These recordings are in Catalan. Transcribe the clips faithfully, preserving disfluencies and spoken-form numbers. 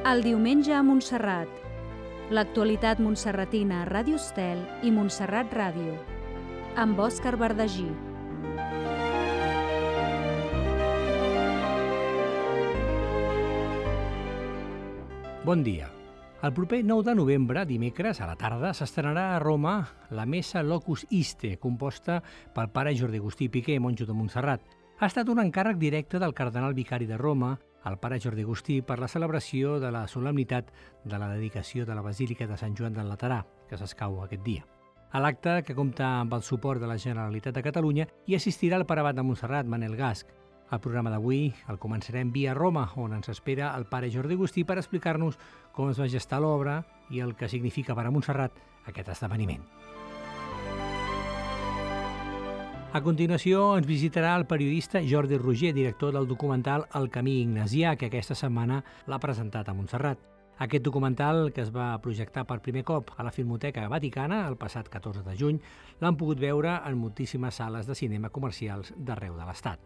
El diumenge a Montserrat. L'actualitat montserratina a Ràdio Estel i Montserrat Ràdio. Amb Òscar Verdagí. Bon dia. El proper nou de novembre, dimecres, a la tarda, s'estrenarà a Roma la Messa Locus Iste, composta pel pare Jordi Agustí Piqué, monjo de Montserrat. Ha estat un encàrrec directe del cardenal vicari de Roma, el pare Jordi Agustí, per la celebració de la solemnitat de la dedicació de la Basílica de Sant Joan del Laterà, que s'escau aquest dia. A l'acte, que compta amb el suport de la Generalitat de Catalunya, hi assistirà el pare abat de Montserrat, Manel Gasc. El programa d'avui el començarem via Roma, on ens espera el pare Jordi Agustí per explicar-nos com es va gestar l'obra i el que significa per a Montserrat aquest esdeveniment. A continuació ens visitarà el periodista Jordi Roger, director del documental El camí ignasià, que aquesta setmana l'ha presentat a Montserrat. Aquest documental, que es va projectar per primer cop a la Filmoteca Vaticana el passat catorze de juny, l'han pogut veure en moltíssimes sales de cinema comercials d'arreu de l'Estat.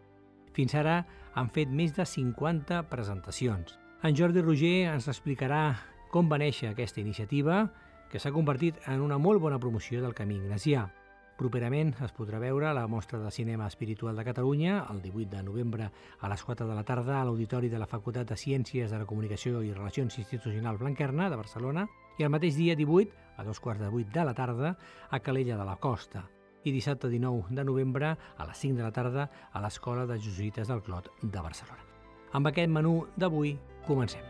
Fins ara han fet més de cinquanta presentacions. En Jordi Roger ens explicarà com va néixer aquesta iniciativa, que s'ha convertit en una molt bona promoció del camí ignasià. Properament es podrà veure a la Mostra de Cinema Espiritual de Catalunya, el divuit de novembre a les quatre de la tarda a l'Auditori de la Facultat de Ciències de la Comunicació i Relacions Institucionals Blanquerna de Barcelona, i el mateix dia divuit, a dos quarts de vuit de la tarda, a Calella de la Costa, i dissabte dinou de novembre a les cinc de la tarda a l'Escola de Jesuïtes del Clot de Barcelona. Amb aquest menú d'avui comencem.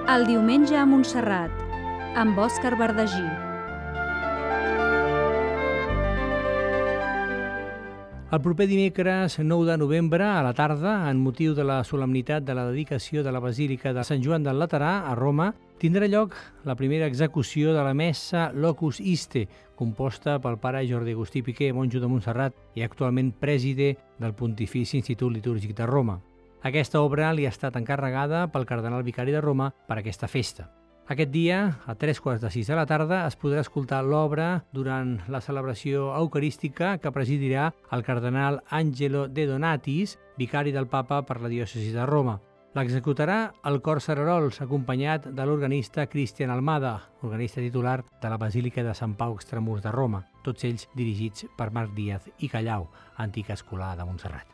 El diumenge a Montserrat, amb Òscar Verdagí. El proper dimecres nou de novembre a la tarda, en motiu de la solemnitat de la dedicació de la Basílica de Sant Joan del Laterà a Roma, tindrà lloc la primera execució de la Messa Locus Iste, composta pel pare Jordi Agustí Piqué, monjo de Montserrat i actualment preside del Pontifici Institut Litúrgic de Roma. Aquesta obra li ha estat encarregada pel cardenal vicari de Roma per aquesta festa. Aquest dia, a tres quarts de sis de la tarda, es podrà escoltar l'obra durant la celebració eucarística que presidirà el cardenal Angelo De Donatis, vicari del Papa per la diòcesi de Roma. L'executarà el cor Cerarols, acompanyat de l'organista Cristian Almada, organista titular de la Basílica de Sant Pau Extramurs de Roma, tots ells dirigits per Marc Díaz i Callau, antic escolà de Montserrat.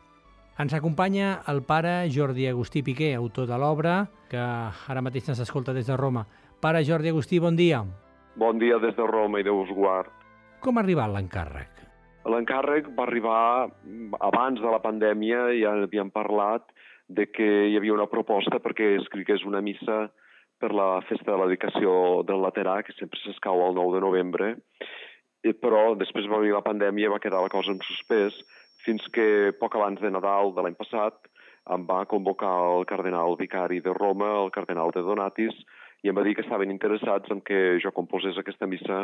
Ens acompanya el pare Jordi Agustí Piqué, autor de l'obra, que ara mateix ens escolta des de Roma. Pare Jordi Agustí, bon dia. Bon dia des de Roma i Déu us guard. Com ha arribat l'encàrrec? L'encàrrec va arribar abans de la pandèmia, ja havíem parlat de que hi havia una proposta perquè escrigués una missa per la festa de la dedicació del Laterà, que sempre s'escau el nou de novembre, però després va venir la pandèmia i va quedar la cosa en suspès, fins que poc abans de Nadal de l'any passat em va convocar el cardenal vicari de Roma, el cardenal de Donatis, i em va dir que estaven interessats en que jo composés aquesta missa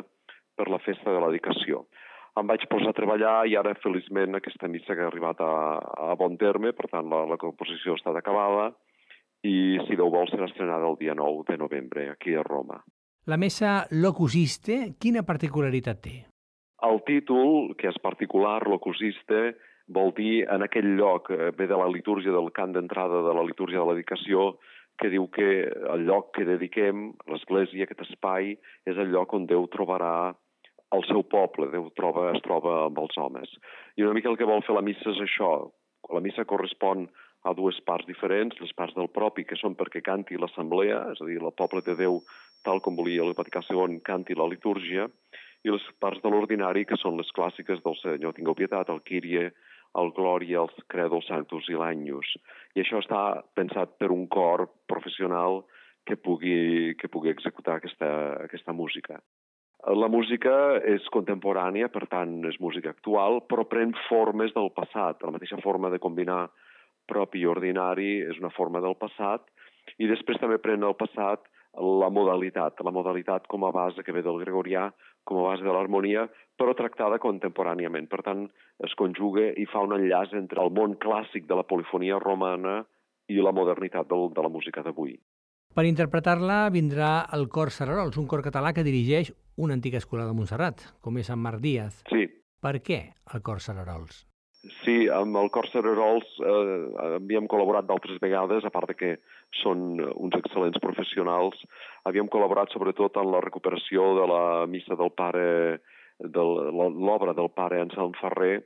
per la festa de la dedicació. Em vaig posar a treballar i ara, feliçment, aquesta missa que ha arribat a, a bon terme, per tant, la, la composició ha estat acabada i, si Déu vol, serà estrenada el dia nou de novembre, aquí a Roma. La Messa Locus Iste, quina particularitat té? El títol, que és particular, Locus Iste, vol dir en aquell lloc, ve de la litúrgia del cant d'entrada de la litúrgia de la dedicació, que diu que el lloc que dediquem, l'església, aquest espai, és el lloc on Déu trobarà el seu poble, Déu troba, es troba amb els homes. I una mica el que vol fer la missa és això. La missa correspon a dues parts diferents, les parts del propi, que són perquè canti l'assemblea, és a dir, el poble de Déu, tal com volia el Vaticà segon, canti la litúrgia, i les parts de l'ordinari, que són les clàssiques del Senyor tingueu pietat, el Kyrie, el Glòria, el Credo Sanctus i l'Agnus. I això està pensat per un cor professional que pugui, que pugui executar aquesta, aquesta música. La música és contemporània, per tant és música actual, però pren formes del passat. La mateixa forma de combinar propi i ordinari és una forma del passat, i després també pren el passat la modalitat, la modalitat com a base que ve del gregorià, com a base de l'harmonia, però tractada contemporàniament. Per tant, es conjuga i fa un enllaç entre el món clàssic de la polifonia romana i la modernitat del, de la música d'avui. Per interpretar-la vindrà el cor Cerarols, un cor català que dirigeix una antiga escola de Montserrat, com és Sant Marc Díaz. Sí. Per què el cor Cerarols? Sí, amb el Cor Cererols eh, havíem col·laborat d'altres vegades, a part de que són uns excel·lents professionals. Havíem col·laborat sobretot en la recuperació de la missa del pare, de l'obra del pare Anselm Ferrer,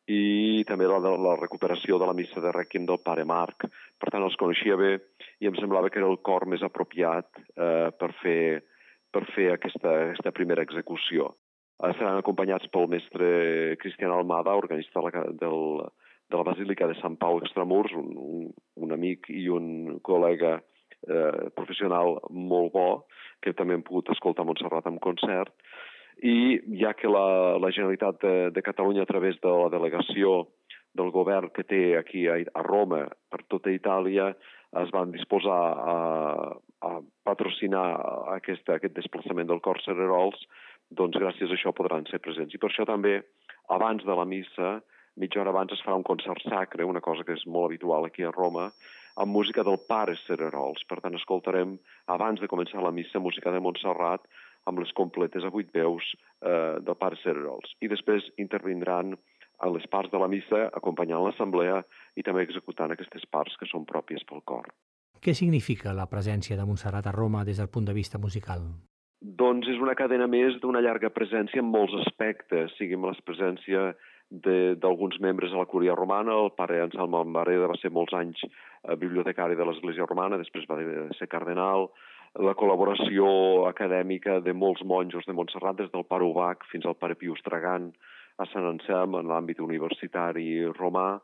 i també la, la recuperació de la missa de Rèquiem del pare Marc. Per tant, els coneixia bé i em semblava que era el cor més apropiat eh, per fer, per fer aquesta, aquesta primera execució. Seran acompanyats pel mestre Cristian Almada, organista de la, del, de la Basílica de Sant Pau Extramurs, un, un, un amic i un col·lega eh, professional molt bo, que també hem pogut escoltar a Montserrat en concert. I ja que la, la Generalitat de, de Catalunya, a través de la delegació del govern que té aquí a, a Roma, per tota Itàlia, es van disposar a, a patrocinar aquest, aquest desplaçament del Cor Cererols, doncs gràcies a això podran ser presents. I per això també, abans de la missa, mitja hora abans es farà un concert sacre, una cosa que és molt habitual aquí a Roma, amb música del pare Cererols. Per tant, escoltarem, abans de començar la missa, música de Montserrat, amb les completes a vuit veus eh, del pare Cererols. I després intervindran en les parts de la missa, acompanyant l'assemblea i també executant aquestes parts que són pròpies pel cor. Què significa la presència de Montserrat a Roma des del punt de vista musical? Doncs és una cadena més d'una llarga presència en molts aspectes, sigui amb la presència d'alguns membres de la Cúria Romana. El pare Anselm Ambareda va ser molts anys eh, bibliotecari de l'Església Romana, després va ser cardenal. La col·laboració acadèmica de molts monjos de Montserrat, des del pare Ubach fins al pare Pius Tragant a Sant Anselm, en l'àmbit universitari romà.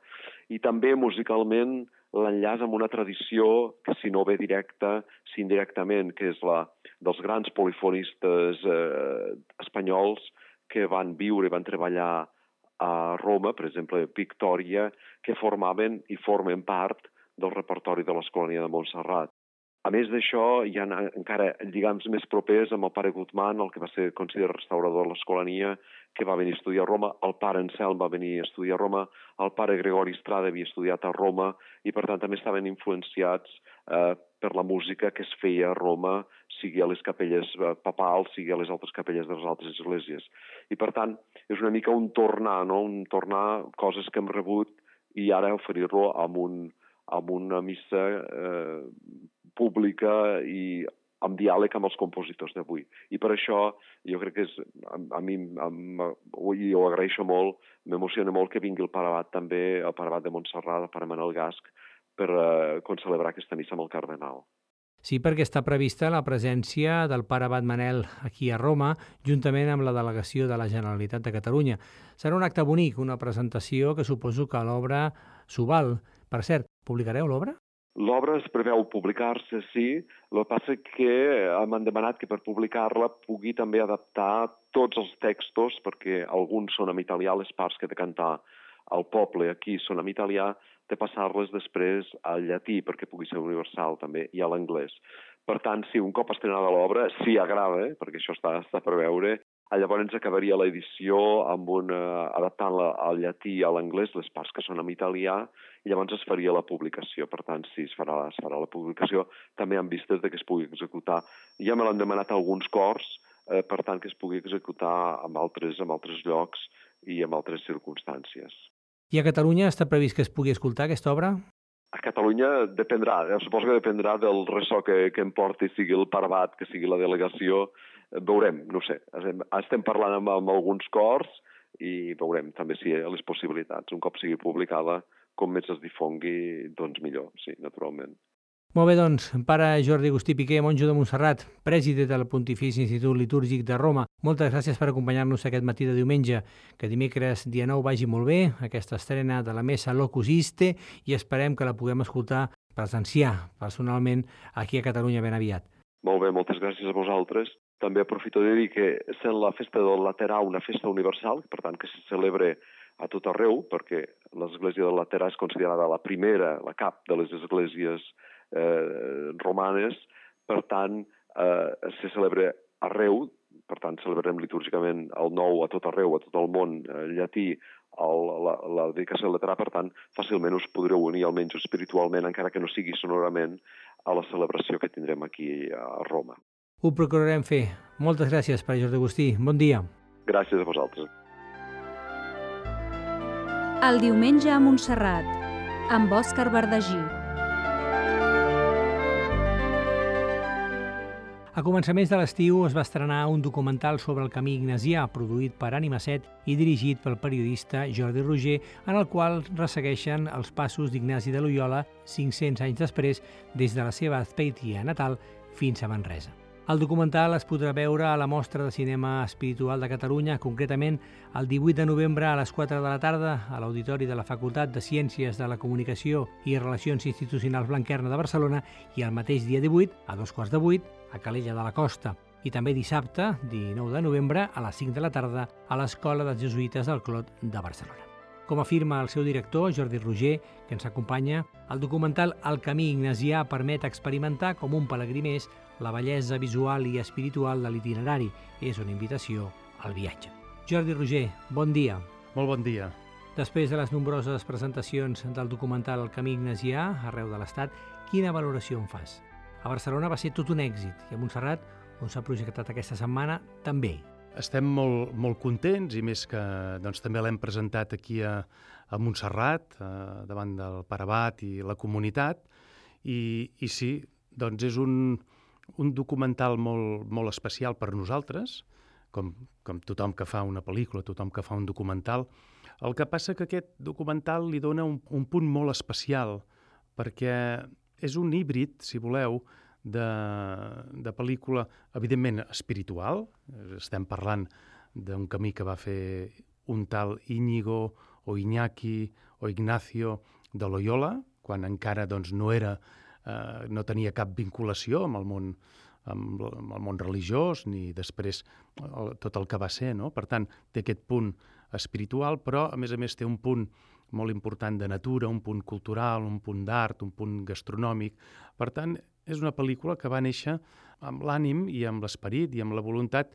I també musicalment l'enllaç amb una tradició que, si no ve directa, si indirectament, que és la dels grans polifonistes eh, espanyols que van viure i van treballar a Roma, per exemple, Victòria, que formaven i formen part del repertori de l'Escolania de Montserrat. A més d'això, hi ha encara lligams més propers amb el pare Guzmán, el que va ser considerat restaurador de l'Escolania, que va venir a estudiar a Roma, el pare Anselm va venir a estudiar a Roma, el pare Gregori Estrada havia estudiat a Roma, i per tant també estaven influenciats eh, per la música que es feia a Roma, sigui a les capelles papals, sigui a les altres capelles de les altres esglésies. I per tant, és una mica un tornar, no? Un tornar coses que hem rebut i ara oferir-lo amb, un, amb una missa eh, pública i amb diàleg amb els compositors d'avui. I per això jo crec que és, a, a mi, a, i ho agraeixo molt, m'emociona molt que vingui el pare abat també, el pare abat de Montserrat, el pare Manel Gasc, per eh, concelebrar aquesta missa amb el cardenal. Sí, perquè està prevista la presència del pare abat Manel aquí a Roma, juntament amb la delegació de la Generalitat de Catalunya. Serà un acte bonic, una presentació que suposo que l'obra s'ho val. Per cert, publicareu l'obra? L'obra es preveu publicar-se, sí. El que passa que m'han demanat que per publicar-la pugui també adaptar tots els textos, perquè alguns són en italià, les parts que he de cantar al poble aquí són en italià, de passar-les després al llatí, perquè pugui ser universal també, i a l'anglès. Per tant, si un cop estrenada l'obra, si agrada, eh, perquè això està, està per veure, llavors acabaria l'edició amb una, adaptant-la al llatí i a l'anglès, les parts que són en italià, i llavors es faria la publicació. Per tant, sí, es farà, es farà la publicació, també amb vistes de que es pugui executar. Ja me l'han demanat alguns cors, eh, per tant, que es pugui executar en altres, en altres llocs i en altres circumstàncies. I a Catalunya està previst que es pugui escoltar aquesta obra? A Catalunya dependrà, suposo que dependrà del ressò que, que em porti, sigui el pare abat, que sigui la delegació. Veurem, no sé, estem parlant amb, amb alguns cors i veurem també si hi ha les possibilitats. Un cop sigui publicada, com més es difongui, doncs millor, sí, naturalment. Molt bé, doncs, pare Jordi Agustí Piqué, monjo de Montserrat, president del Pontifici Institut Litúrgic de Roma. Moltes gràcies per acompanyar-nos aquest matí de diumenge. Que dimecres, dia nou, vagi molt bé, aquesta estrena de la Messa Locus Iste, i esperem que la puguem escoltar, presenciar personalment aquí a Catalunya ben aviat. Molt bé, moltes gràcies a vosaltres. També aprofito de dir que sent la festa del Laterà una festa universal, per tant que se celebre a tot arreu, perquè l'església del Laterà és considerada la primera, la cap de les esglésies eh, romanes, per tant eh, se celebra arreu, per tant celebrarem litúrgicament el nou a tot arreu, a tot el món, eh, llatí, el, la, la dedicació del Laterà, per tant fàcilment us podreu unir almenys espiritualment, encara que no sigui sonorament, a la celebració que tindrem aquí a Roma. Ho procurarem fer. Moltes gràcies, pare Jordi Agustí. Bon dia. Gràcies a vosaltres. El diumenge a Montserrat, amb Òscar Verdagí. A començaments de l'estiu es va estrenar un documental sobre el camí ignasià, produït per Ànima set i dirigit pel periodista Jordi Roger, en el qual ressegueixen els passos d'Ignasi de Loyola cinc-cents anys després, des de la seva Azpeitia natal fins a Manresa. El documental es podrà veure a la Mostra de Cinema Espiritual de Catalunya, concretament el divuit de novembre a les quatre de la tarda a l'Auditori de la Facultat de Ciències de la Comunicació i Relacions Institucionals Blanquerna de Barcelona i el mateix dia divuit, a dos quarts de vuit, a Calella de la Costa. I també dissabte, dinou de novembre, a les cinc de la tarda, a l'Escola dels Jesuïtes del Clot de Barcelona. Com afirma el seu director, Jordi Roger, que ens acompanya, el documental El camí ignasià permet experimentar com un pelegrí més la bellesa visual i espiritual de l'itinerari. És una invitació al viatge. Jordi Roger, bon dia. Molt bon dia. Després de les nombroses presentacions del documental El camí ignasià arreu de l'Estat, quina valoració en fas? A Barcelona va ser tot un èxit i a Montserrat, on s'ha projectat aquesta setmana, també. Estem molt, molt contents i més que doncs, també l'hem presentat aquí a, a Montserrat, eh, davant del Pare Abat i la comunitat. I, i sí, doncs és un, un documental molt, molt especial per nosaltres, com, com tothom que fa una pel·lícula, tothom que fa un documental. El que passa que aquest documental li dona un, un punt molt especial, perquè és un híbrid, si voleu, de, de pel·lícula, evidentment, espiritual. Estem parlant d'un camí que va fer un tal Íñigo o Iñaki o Ignacio de Loyola, quan encara doncs, no, era, eh, no tenia cap vinculació amb el món, amb, amb el món religiós, ni després el, tot el que va ser. No? Per tant, té aquest punt espiritual, però a més a més té un punt molt important de natura, un punt cultural, un punt d'art, un punt gastronòmic. Per tant, és una pel·lícula que va néixer amb l'ànim i amb l'esperit i amb la voluntat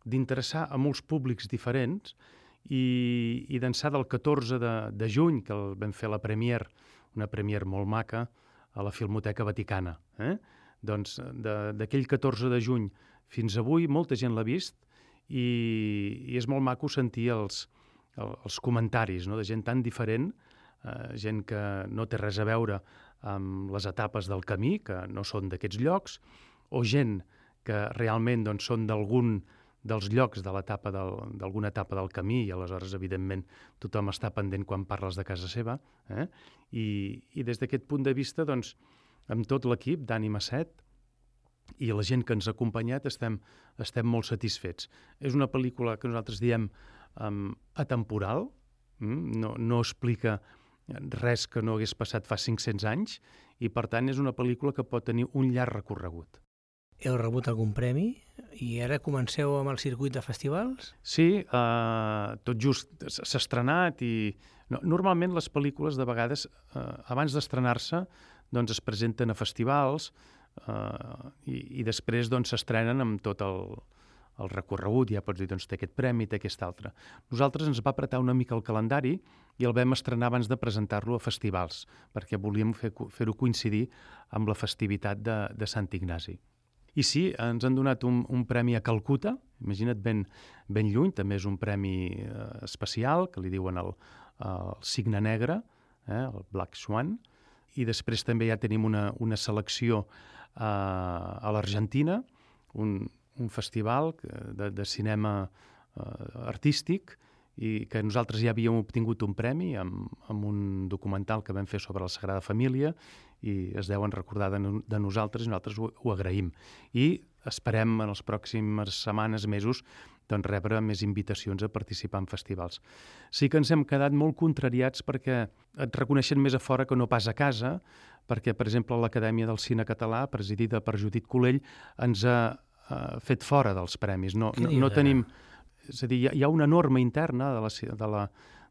d'interessar a molts públics diferents i, i d'ençà del catorze de, de juny, que el vam fer la premier, una premier molt maca, a la Filmoteca Vaticana. Eh? Doncs d'aquell catorze de juny fins avui molta gent l'ha vist i, i és molt maco sentir els, els comentaris, no? De gent tan diferent, eh, gent que no té res a veure amb les etapes del camí, que no són d'aquests llocs, o gent que realment doncs, són d'algun dels llocs de l'etapa del, d'alguna etapa del camí i aleshores, evidentment, tothom està pendent quan parles de casa seva. Eh? I, i des d'aquest punt de vista, doncs, amb tot l'equip d'Ànima set i la gent que ens ha acompanyat estem, estem molt satisfets. És una pel·lícula que nosaltres diem um, atemporal, mm? no, no explica res que no hagués passat fa cinc-cents anys i, per tant, és una pel·lícula que pot tenir un llarg recorregut. Heu rebut algun premi i ara comenceu amb el circuit de festivals? Sí, eh, tot just s'ha estrenat i no, normalment les pel·lícules de vegades eh, abans d'estrenar-se doncs es presenten a festivals eh, i, i després doncs s'estrenen amb tot el, el recorregut, ja pots dir, doncs té aquest premi, té aquest altre. Nosaltres ens va apretar una mica el calendari i el vam estrenar abans de presentar-lo a festivals, perquè volíem fer, fer-ho coincidir amb la festivitat de, de Sant Ignasi. I sí, ens han donat un, un premi a Calcuta, imagina't ben, ben lluny, també és un premi eh, especial, que li diuen el, el Cigne Negre, eh, el Black Swan, i després també ja tenim una, una selecció eh, a l'Argentina, un, un festival de, de cinema eh, artístic, i que nosaltres ja havíem obtingut un premi amb, amb un documental que vam fer sobre la Sagrada Família i es deuen recordar de, no, de nosaltres i nosaltres ho, ho agraïm. I esperem en les pròximes setmanes, mesos, doncs rebre més invitacions a participar en festivals. Sí que ens hem quedat molt contrariats perquè et reconeixen més a fora que no pas a casa, perquè, per exemple, l'Acadèmia del Cine Català, presidida per Judit Colell, ens ha eh, fet fora dels premis. No, no, no tenim... És a dir, hi ha una norma interna de la, de la,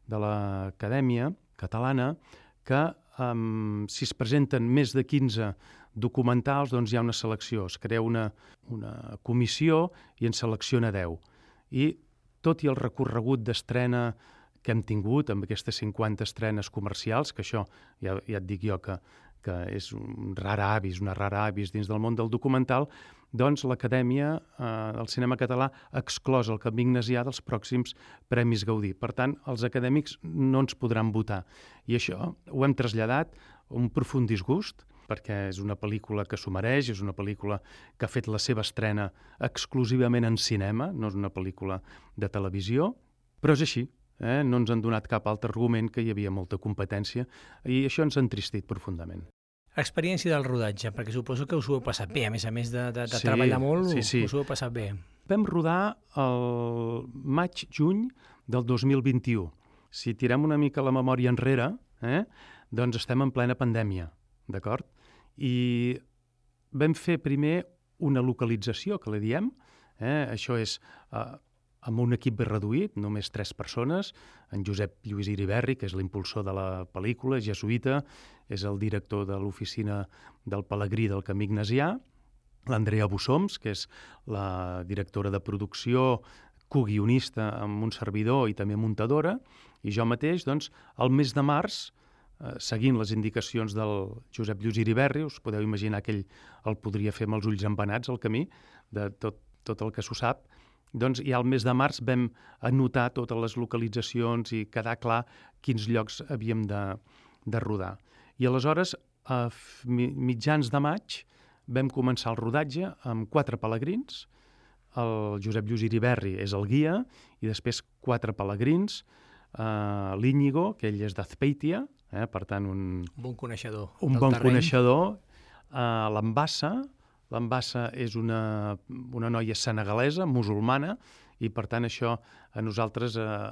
de l'Acadèmia Catalana que um, si es presenten més de quinze documentals, doncs hi ha una selecció. Es crea una, una comissió i en selecciona deu. I tot i el recorregut d'estrena que hem tingut amb aquestes cinquanta estrenes comercials, que això ja, ja et dic jo que, que és un rar avis, una rara avis dins del món del documental, doncs l'Acadèmia eh, del Cinema Català ha exclòs el Camí Ignasià dels pròxims Premis Gaudí. Per tant, els acadèmics no ens podran votar. I això ho hem traslladat un profund disgust, perquè és una pel·lícula que s'ho mereix, és una pel·lícula que ha fet la seva estrena exclusivament en cinema, no és una pel·lícula de televisió, però és així. Eh? No ens han donat cap altre argument, que hi havia molta competència, i això ens ha entristit profundament. Experiència del rodatge, perquè suposo que us ho heu passat bé, a més a més de, de, de sí, treballar molt, sí, sí. us ho heu passat bé. Vam rodar el maig-juny del dos mil vint-i-u. Si tirem una mica la memòria enrere, eh, doncs estem en plena pandèmia, d'acord? I vam fer primer una localització, que li diem, eh? Això és eh, amb un equip reduït, només tres persones, en Josep Lluís Iriberri, que és l'impulsor de la pel·lícula, jesuïta, és el director de l'oficina del Pelegrí del Camí Ignasià, l'Andrea Bussoms, que és la directora de producció, coguionista amb un servidor i també muntadora, i jo mateix, doncs, el mes de març, eh, seguint les indicacions del Josep Lluís Iriberri, us podeu imaginar que ell el podria fer amb els ulls embenats al camí, de tot, tot el que s'ho sap, doncs ja al mes de març vam anotar totes les localitzacions i quedar clar quins llocs havíem de, de rodar. I aleshores, a mitjans de maig, vam començar el rodatge amb quatre pelegrins. El Josep Lluís Iriberri és el guia, i després quatre pelegrins. Uh, L'Íñigo, que ell és d'Azpeitia, eh, per tant, un, un bon coneixedor. Un bon terreny. coneixedor. Uh, L'Ambassa, L'Ambassa és una, una noia senegalesa, musulmana, i per tant això a nosaltres uh,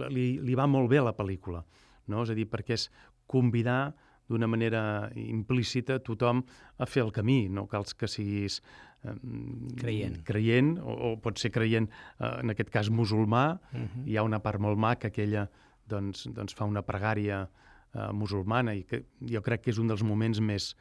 li, li va molt bé a la pel·lícula. No? És a dir, perquè és convidar d'una manera implícita tothom a fer el camí. No cal que siguis eh, creient, creient o, o pot ser creient, eh, en aquest cas musulmà. Uh-huh. Hi ha una part molt maca que ella doncs, doncs fa una pregària eh, musulmana, i que jo crec que és un dels moments més,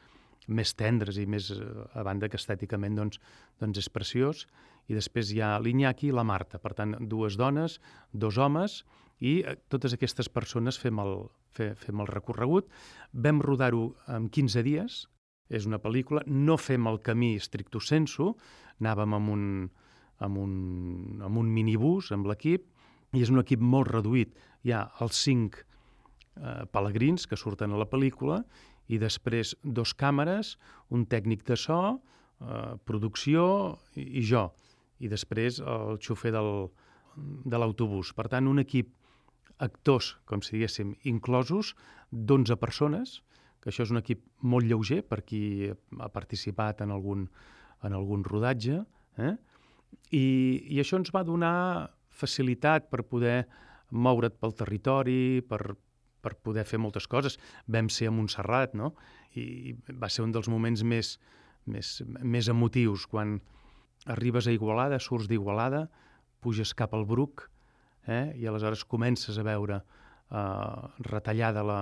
més tendres i més, a banda que estèticament doncs, doncs és preciós. I després hi ha l'Iñaki i la Marta, per tant, dues dones, dos homes, i totes aquestes persones fem el, fe, fem el recorregut. Vam rodar-ho en quinze dies, és una pel·lícula, no fem el camí stricto sensu, anàvem amb un, amb un, amb un minibús, amb l'equip, i és un equip molt reduït. Hi ha els cinc eh, pelegrins que surten a la pel·lícula, i després dos càmeres, un tècnic de so, eh, producció i, i jo, i després el xofer del, de l'autobús. Per tant, un equip, actors, com si diguéssim, inclosos, d'onze persones, que això és un equip molt lleuger per qui ha participat en algun, en algun rodatge, eh? I, i això ens va donar facilitat per poder moure't pel territori, per, per poder fer moltes coses. Vam ser a Montserrat, no? I va ser un dels moments més, més, més emotius, quan arribes a Igualada, surts d'Igualada, puges cap al Bruc, eh? I aleshores comences a veure eh, retallada la,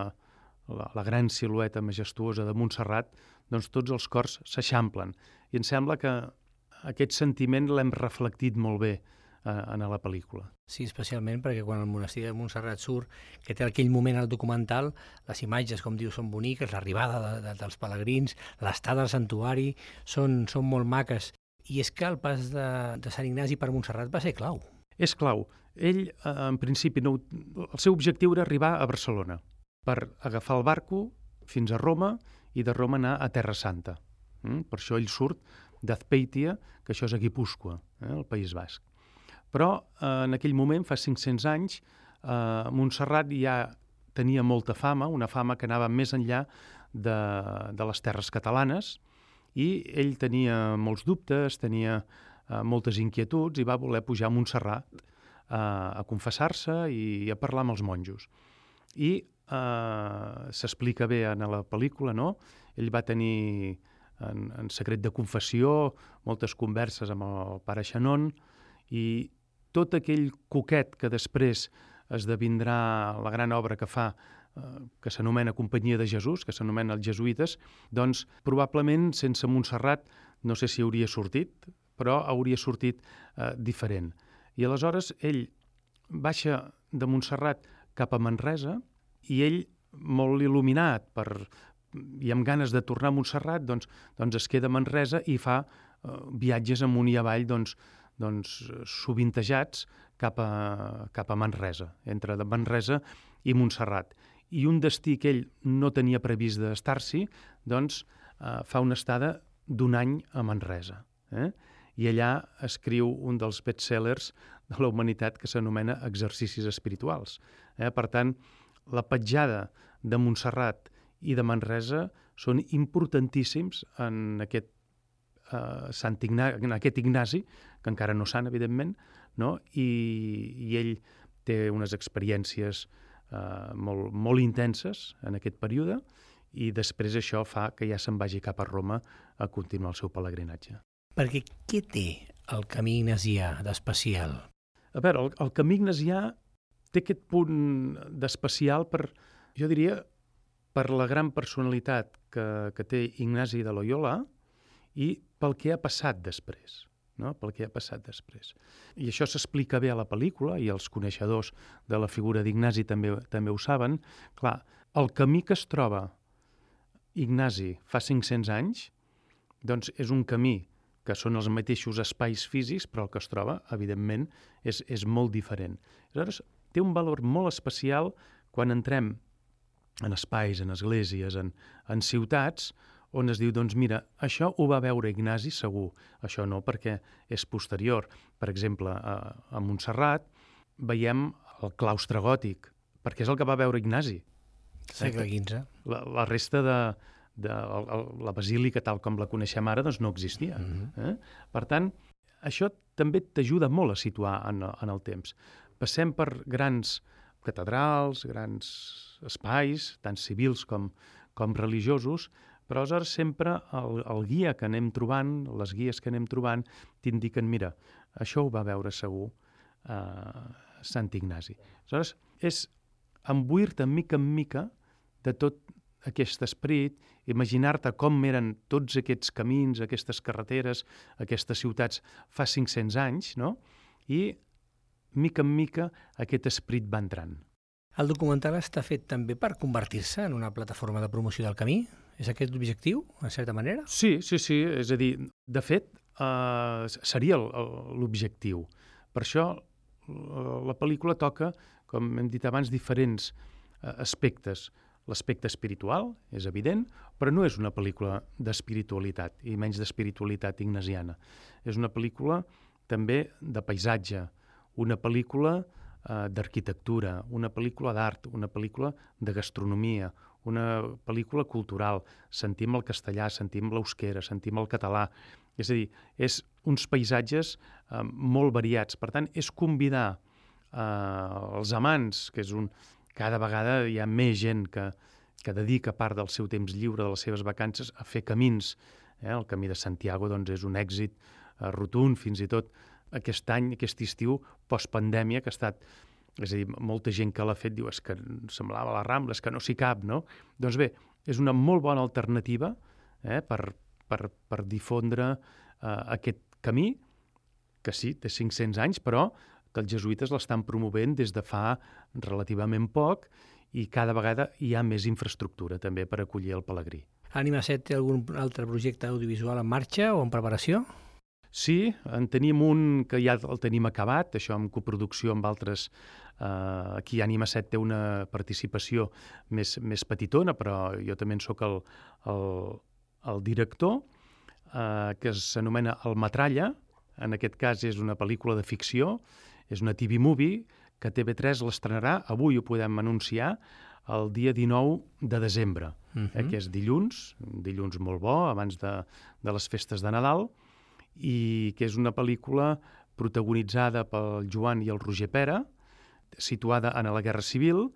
la, la gran silueta majestuosa de Montserrat, doncs tots els cors s'eixamplen. I em sembla que aquest sentiment l'hem reflectit molt bé eh, en la pel·lícula. Sí, especialment perquè quan el monestir de Montserrat surt, que té aquell moment al documental, les imatges, com diu, són boniques, l'arribada de, de, dels pelegrins, l'estada al santuari, són, són molt maques. I és que el pas de, de Sant Ignasi per Montserrat va ser clau. És clau. Ell, eh, en principi, no, el seu objectiu era arribar a Barcelona per agafar el barco fins a Roma i de Roma anar a Terra Santa. Mm? Per això ell surt d'Azpeitia, que això és a Guipúscoa, eh, el País Basc. Però eh, en aquell moment, fa cinc-cents anys, eh, Montserrat ja tenia molta fama, una fama que anava més enllà de, de les terres catalanes, i ell tenia molts dubtes, tenia eh, moltes inquietuds, i va voler pujar a Montserrat eh, a confessar-se i a parlar amb els monjos. I eh, s'explica bé en la pel·lícula, no? Ell va tenir en, en secret de confessió moltes converses amb el pare Xanon, i tot aquell coquet que després esdevindrà la gran obra que fa, eh, que s'anomena Companyia de Jesús, que s'anomena els jesuïtes, doncs probablement sense Montserrat no sé si hauria sortit, però hauria sortit eh, diferent. I aleshores ell baixa de Montserrat cap a Manresa, i ell, molt il·luminat per, i amb ganes de tornar a Montserrat, doncs, doncs es queda a Manresa i fa eh, viatges amunt i avall doncs, doncs, sovintejats cap a, cap a Manresa, entre Manresa i Montserrat. I un destí que ell no tenia previst d'estar-s'hi, doncs eh, fa una estada d'un any a Manresa. Eh? I allà escriu un dels bestsellers de la humanitat que s'anomena Exercicis espirituals. Eh? Per tant, la petjada de Montserrat i de Manresa són importantíssims en aquest, eh, Sant Ignasi, en aquest Ignasi, que encara no sant, evidentment, no? I, i ell té unes experiències eh, molt, molt intenses en aquest període i després això fa que ja se'n vagi cap a Roma a continuar el seu pelegrinatge. Perquè què té el camí ignasià d'especial? A veure, el, el camí ignasià té aquest punt d'especial per, jo diria, per la gran personalitat que, que té Ignasi de Loyola i pel que ha passat després, no? Pel que ha passat després. I això s'explica bé a la pel·lícula, i els coneixedors de la figura d'Ignasi també, també ho saben. Clar, el camí que es troba Ignasi fa cinc-cents anys, doncs és un camí que són els mateixos espais físics, però el que es troba, evidentment, és, és molt diferent. Aleshores, té un valor molt especial quan entrem en espais, en esglésies, en, en ciutats, on es diu, doncs mira, això ho va veure Ignasi segur, això no, perquè és posterior. Per exemple, a, a Montserrat veiem el claustre gòtic, perquè és el que va veure Ignasi. Segle quinze. La, la resta de, de la, la basílica, tal com la coneixem ara, doncs no existia. Mm-hmm. eh? Per tant, això també t'ajuda molt a situar en, en el temps. Passem per grans catedrals, grans espais, tant civils com, com religiosos, però aleshores sempre el, el guia que anem trobant, les guies que anem trobant, t'indiquen, mira, això ho va veure segur eh, Sant Ignasi. Aleshores, és embuir-te mica en mica de tot aquest esperit, imaginar-te com eren tots aquests camins, aquestes carreteres, aquestes ciutats fa cinc-cents anys, no? I mica en mica aquest esperit va entrant. El documental està fet també per convertir-se en una plataforma de promoció del camí? És aquest l'objectiu, en certa manera? Sí, sí, sí. És a dir, de fet, eh, seria el, el, l'objectiu. Per això la pel·lícula toca, com hem dit abans, diferents eh, aspectes. L'aspecte espiritual, és evident, però no és una pel·lícula d'espiritualitat, i menys d'espiritualitat ignasiana. És una pel·lícula també de paisatge, una pel·lícula eh, d'arquitectura, una pel·lícula d'art, una pel·lícula de gastronomia, una pel·lícula cultural. Sentim el castellà, sentim l'euskera, sentim el català. És a dir, és uns paisatges eh, molt variats. Per tant, és convidar eh, els amants, que és un... Cada vegada hi ha més gent que, que dedica part del seu temps lliure, de les seves vacances, a fer camins. Eh? El Camí de Santiago doncs, és un èxit eh, rotund, fins i tot aquest any, aquest estiu, postpandèmia, que ha estat... És a dir, molta gent que l'ha fet diu és que semblava la Rambla, és que no s'hi cap, no? Doncs bé, és una molt bona alternativa eh, per, per, per difondre eh, aquest camí, que sí, té cinc-cents anys, però que els jesuïtes l'estan promovent des de fa relativament poc i cada vegada hi ha més infraestructura també per acollir el pelegrí. Ànima set té algun altre projecte audiovisual en marxa o en preparació? Sí, en tenim un que ja el tenim acabat, això en coproducció amb altres. Eh, aquí Ànima set té una participació més, més petitona, però jo també en soc el, el, el director, eh, que s'anomena El Metralla. En aquest cas és una pel·lícula de ficció, és una T V movie que T V tres l'estrenarà, avui ho podem anunciar, el dia dinou de desembre, uh-huh. eh, que és dilluns, un dilluns molt bo, abans de, de les festes de Nadal, i que és una pel·lícula protagonitzada pel Joan i el Roger Pera, situada en la Guerra Civil,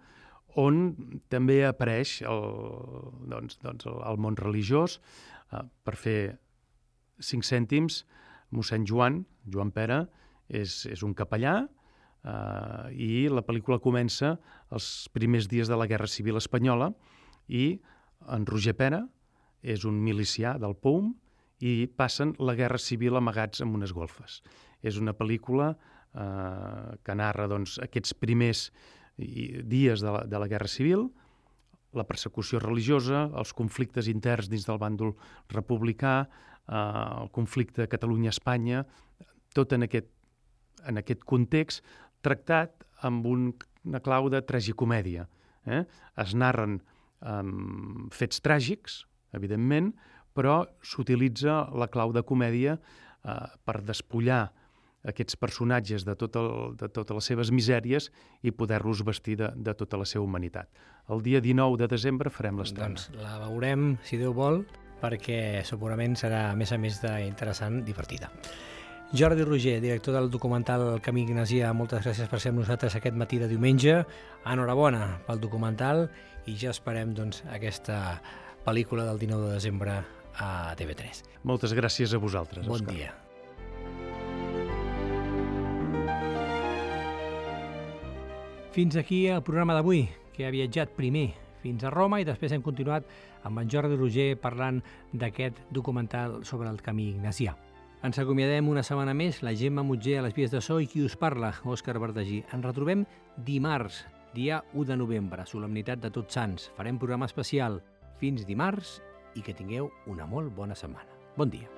on també apareix el, doncs, doncs el, el món religiós. Eh, per fer cinc cèntims, mossèn Joan, Joan Pera, és, és un capellà, eh, i la pel·lícula comença els primers dies de la Guerra Civil espanyola i en Roger Pera és un milicià del P O U M i passen la Guerra Civil amagats en unes golfes. És una pel·lícula eh, que narra doncs, aquests primers dies de la, de la Guerra Civil, la persecució religiosa, els conflictes interns dins del bàndol republicà, eh, el conflicte Catalunya-Espanya, tot en aquest, en aquest context tractat amb un, una clau de tragicomèdia. Eh? Es narren um, fets tràgics, evidentment, però s'utilitza la clau de comèdia eh, per despullar aquests personatges de, tot el, de totes les seves misèries i poder-los vestir de, de tota la seva humanitat. El dia dinou de desembre farem l'estrena. Doncs la veurem, si Déu vol, perquè segurament serà, a més a més d'interessant, divertida. Jordi Roger, director del documental Camí Ignasià, moltes gràcies per ser amb nosaltres aquest matí de diumenge. Enhorabona pel documental i ja esperem doncs, aquesta pel·lícula del dinou de desembre a T V tres. Moltes gràcies a vosaltres, Bon Òscar. dia. Fins aquí el programa d'avui, que ha viatjat primer fins a Roma i després hem continuat amb en Jordi Roger parlant d'aquest documental sobre el Camí Ignasià. Ens acomiadem una setmana més, la Gemma Mutger a les vies de so i qui us parla, Òscar Verdagí. Ens retrobem dimarts, dia u de novembre, solemnitat de Tots Sants. Farem programa especial. Fins dimarts i que tingueu una molt bona setmana. Bon dia.